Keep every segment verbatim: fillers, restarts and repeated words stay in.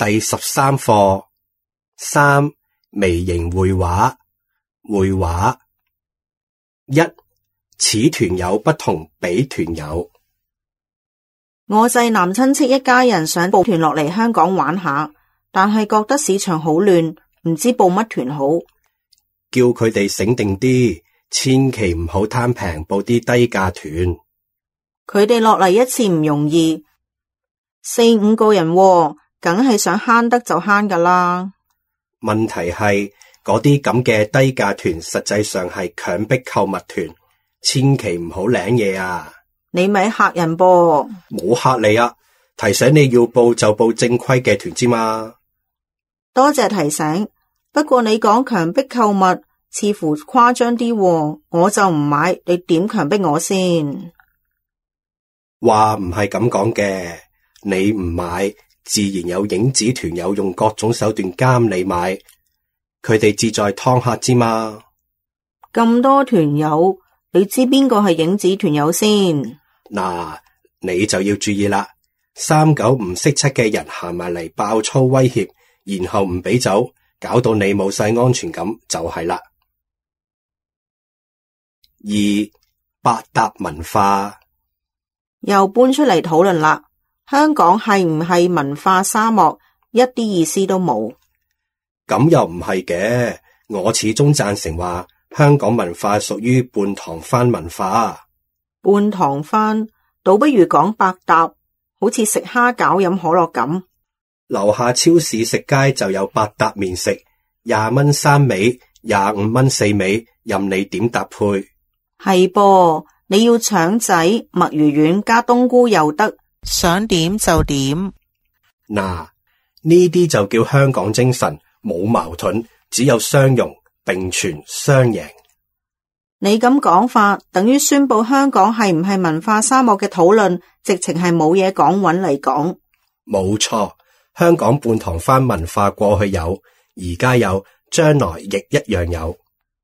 第十三課三微型繪畫。繪畫一，此團有不同彼團有。我濟南親戚一家人想報團落嚟香港玩下，但係覺得市場好亂，唔知報乜團好。叫佢哋醒定啲，千祈唔好貪平報啲低價團。佢哋落嚟一次唔容易，四五個人喎，梗係想慳得就慳㗎啦。問題係嗰啲咁嘅低價團實際上係強迫購物團，千祈唔好領嘢啊！你咪嚇人噃。冇嚇你啊，提醒你要報就報正規嘅團之嘛。多謝提醒，不過你講強迫購物似乎誇張啲喎，我就唔買，你點強迫我先？話唔係咁講嘅，你唔買，自然有影子團友用各種手段監你買，佢哋志在劏客之嘛。咁多團友，你知邊個係影子團友先？嗱，你就要注意啦，三九唔識七嘅人行埋嚟爆粗威脅，然後唔俾走，搞到你冇晒安全感就係啦。二，百搭文化又搬出嚟討論啦。香港係唔係文化沙漠？一啲意思都冇。咁又唔係嘅，我始終贊成話香港文化屬於半唐番文化。半唐番倒不如講百搭，好似食蝦餃飲可樂咁。樓下超市食街就有百搭麵食，廿蚊三味，廿五蚊四味，任你點搭配。係噃，你要腸仔、墨魚丸加冬菇又得，想點就點。嗱，呢啲就叫香港精神，冇矛盾，只有相容並存雙贏。你咁講法，等於宣布香港係唔係文化沙漠嘅討論，直情係冇嘢講搵嚟講。冇錯，香港半唐番文化過去有，而家有，將來亦一樣有。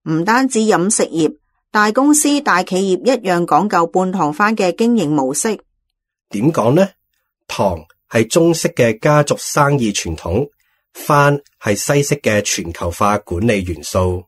唔單止飲食業，大公司大企業一樣講究半唐番嘅經營模式。點講呢？唐係中式嘅家族生意傳統，番係西式嘅全球化管理元素。